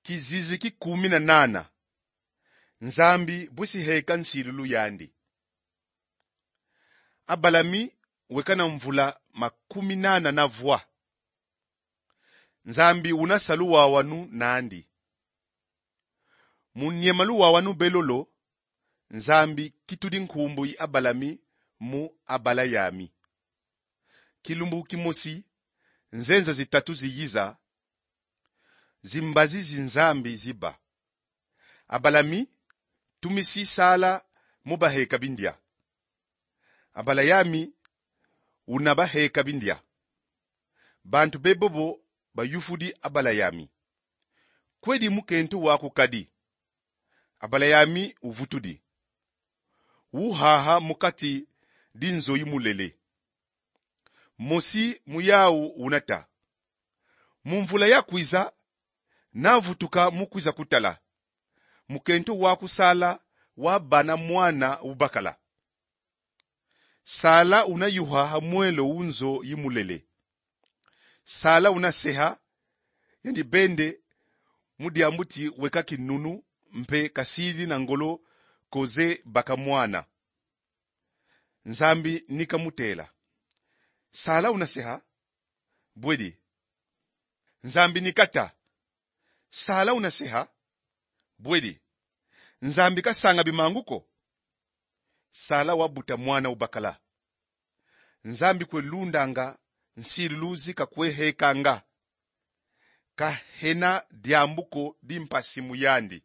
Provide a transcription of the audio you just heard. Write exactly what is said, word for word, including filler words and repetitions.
Kizizi ki kumi na nana. Nzambi bwisi heka nsilulu yandi. Abalami weka na mvula makumi nana na vwa. Nzambi una sa luwawanu nandi. Mu niema luwawanu be lolo, Nzambi kitudi nkumbu yi Abalami mu Abalayami. Kilumbu kimosi, nzenza zitatu ziyiza, zimbazi zi Nzambi ziba. Abalami tumisi Sala mu baheka bindia. Abalayami una baheka bindia. Bantu be bobo bayufudi Abalayami: "Kwedi mukento waku kadi?" Abalayami uvutudi: "Uhaha mu kati di nzo yi mulele. Mosi mu yau una ta: Mu mvula ya kwiza, navutuka mu kwiza kutala. Mukento waku Sala wabana mwana ubakala." Sala una yuha ha mwelo wu nzo yi mulele. Sala una seha, yandi bende, mu diambu ti weka kinunu mpe kasidi na ngolo ko ze baka mwana. Nzambi ni kamutela: "Sala una seha? Bwedi." Nzambi ni kata: "Sala una seha? Bwedi." Nzambi kasanga bimangu ko. Sala wabuta mwana ubakala. Nzambi kwe lundanga, nsilulu zi kakwe hekanga. Kahena diambu ko di mpasi mu yandi.